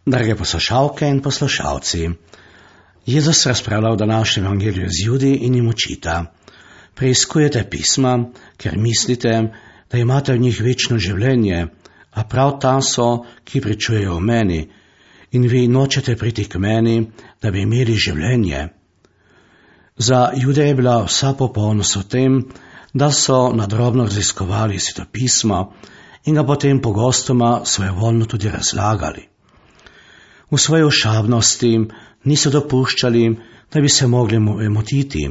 Drage poslušalke in poslušalci, Jezus razpravlja v današnjem evangeliju z Judi in jim učita: preiskujete pisma, ker mislite, da imate v njih večno življenje, a prav ta so, ki pričujejo o meni, in vi nočete priti k meni, da bi imeli življenje. Za Jude je bila vsa popolnost v tem, da so nadrobno raziskovali svetopisma in ga potem pogostoma svojevoljno tudi razlagali. V svoji ošabnosti niso dopuščali, da bi se mogli motiti,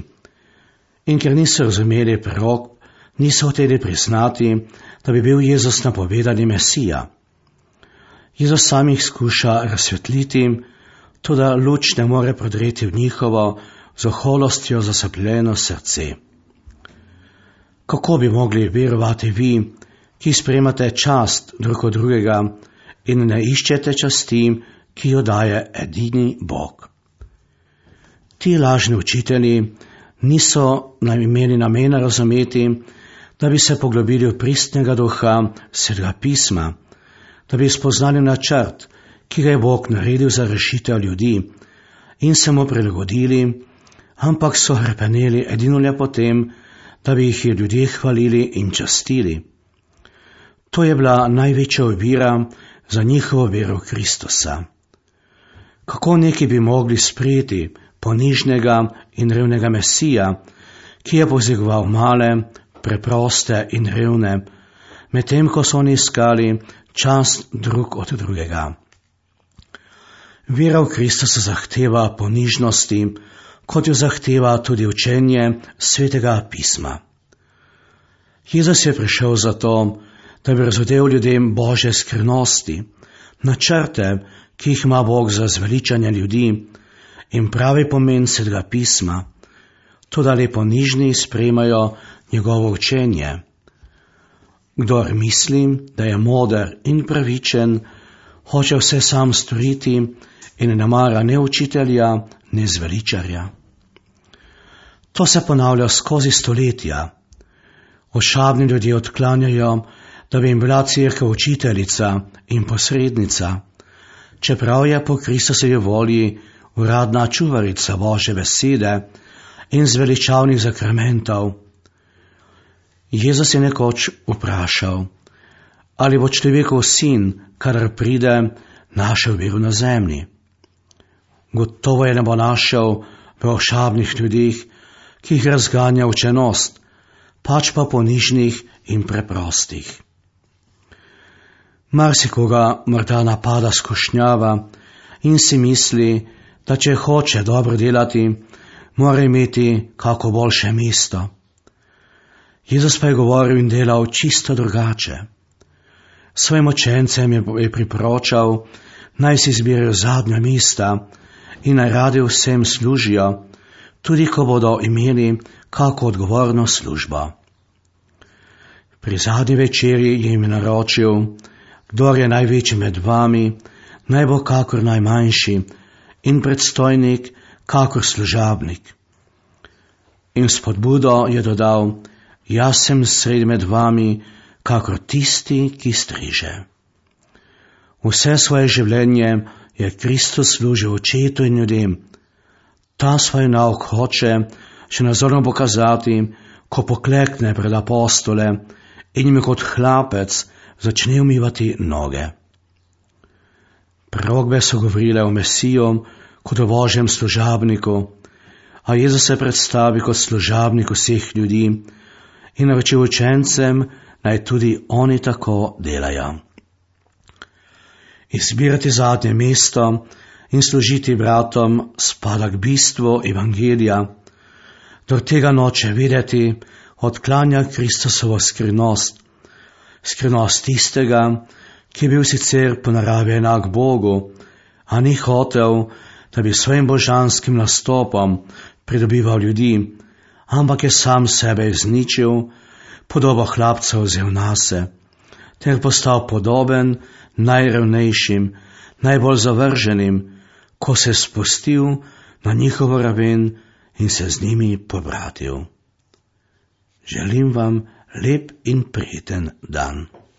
in ker niso razumeli prerok, niso hoteli priznati, da bi bil Jezus napovedani Mesija. Jezus sam jih skuša razsvetliti, toda luč ne more prodreti v njihovo z oholostjo zaslepljeno srce. Kako bi mogli verovati vi, ki sprejemate čast drug od drugega in ne iščete časti, ki jo daje edini Bog? Ti lažni učitelji niso imeli namena razumeti, da bi se poglobili v pristnega duha Svetega pisma, da bi spoznali načrt, ki ga je Bog naredil za rešitev ljudi, in se mu prilagodili, ampak so hrepeneli edino le potem, da bi jih ljudje hvalili in častili. To je bila največja ovira za njihovo vero v Kristusa. Kako neki bi mogli sprejeti ponižnega in revnega Mesija, ki je pozigoval male, preproste in revne, medtem ko so oni iskali čast drug od drugega. Vera v Kristusa zahteva ponižnosti, kot jo zahteva tudi učenje Svetega pisma. Jezus je prišel zato, da bi razodel ljudem Božje skrivnosti, načrte, ki jih ima Bog za zveličanje ljudi, in pravi pomen Svetega pisma, toda le ponižni sprejemajo njegovo učenje. Kdor misli, da je moder in pravičen, hoče vse sam storiti in ne mara ne učitelja, ne zveličarja. To se ponavlja skozi stoletja. Ošabni ljudje odklanjajo, da bi jim bila cerkev učiteljica in posrednica, čeprav je po Kristusovi volji uradna čuvarica Božje besede in zveličavnih zakramentov. Jezus je nekoč vprašal, ali bo človekov sin, kadar pride, našel vero na zemlji. Gotovo je ne bo našel v ošabnih ljudeh, ki jih razganja učenost, pač pa ponižnih in preprostih. Marsikoga morda napada skušnjava in si misli, da če hoče dobro delati, mora imeti kako boljše mesto. Jezus pa je govoril in delal čisto drugače. Svojim učencem je priporočal, naj si izbirajo zadnja mesta in naj radi vsem služijo, tudi ko bodo imeli kako odgovorno službo. Pri zadnji večerji jim je naročil: kdor je največji med vami, naj bo kakor najmanjši, in predstojnik kakor služabnik. In spodbudo je dodal: jaz sem sredi med vami kakor tisti, ki striže. Vse svoje življenje je Kristus služil očetu in ljudem. Ta svoj nauk hoče še nazorno pokazati, ko poklekne pred apostole in jim kot hlapec začne umivati noge. Prorokbe so govorile o Mesiju kot o Božjem služabniku, a Jezus se predstavi kot služabnik vseh ljudi in naročil učencem, naj tudi oni tako delajo. Izbirati zadnje mesto in služiti bratom spada k bistvu evangelija. Kdor tega noče videti, odklanja Kristusovo skrivnost, skrivnost tistega, ki je bil sicer po naravi enak Bogu, a ni hotel, da bi svojim božanskim nastopom pridobival ljudi, ampak je sam sebe izničil, podobo hlapca vzel nase, ter postal podoben najrevnejšim, najbolj zavrženim, ko se je spustil na njihovo raven in se z njimi pobratil. Želim vam lep in prijeten dan.